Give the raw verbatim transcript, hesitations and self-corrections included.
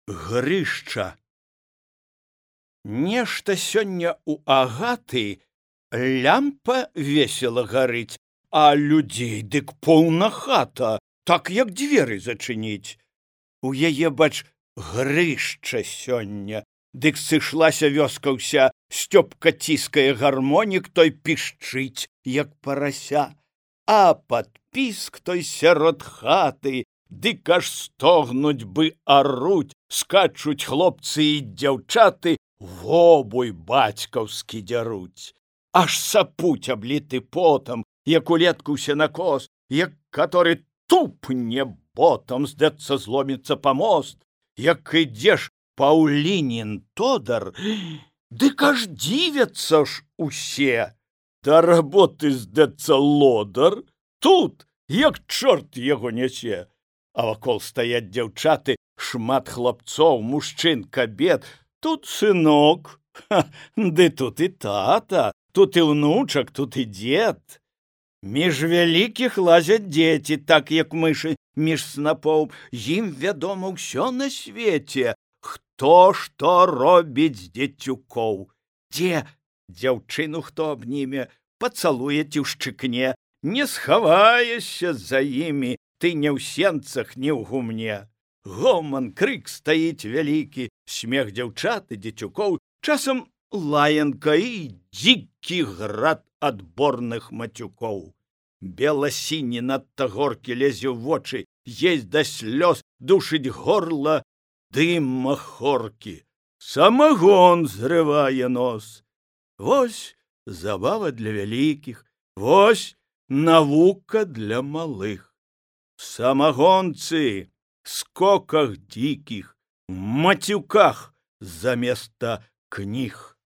Грышча. Нешта сёння ў Агаты лямпа весела гарыць, а людзей дык поўна хата, так як дзверы зачыніць. У яе, бач, грышча сёння, дык сышлася вёска ўся, Стёпка ціскае гармонік, той пішчыць, як парася, а падпіск той сярод хаты, дык аж стогнуць бы аруць, скачуць хлопцы і дзяўчаты, вобуй бацькаўскі дзяруць. Аж сапуць абліты потам, як улетку сенакос, як каторы тупне ботам, здацца, зломіцца памост, як ідзеш Паўлінін тодар, дык аж дзівяцца ж усе. Да работы, здацца, лодар, тут, як чорт яго нясе. А вакол стаяць дзяўчаты, шмат хлапцоў, мужчын, кабет. Тут сынок, ха, ды тут і тата, тут і ўнучак, тут і дзед. Між вялікіх лазяць дзеці, так як мышы між снапоў. Ім вядома ўсё на свеце, хто што робіць з дзецюкоў. Дзе дзяўчыну хто абніме, пацалуе ці ўшчыкне, не схаваешся за імі, ты не ў сенцах, не ў гумне. Гоман, крык стаіць вялікі, смех дзяўчат і дзецюкоў, часам лаянка і дзікі град адборных мацюкоў. Бела-сіні надта горкі лезе ў вочы, есть да слёз, душыць горла дым махоркі. Самагон зрывае нос. Вось забава для вялікіх, вось навука для малых. Самагонцы, скоках дзікіх, мацюках заместа кніг.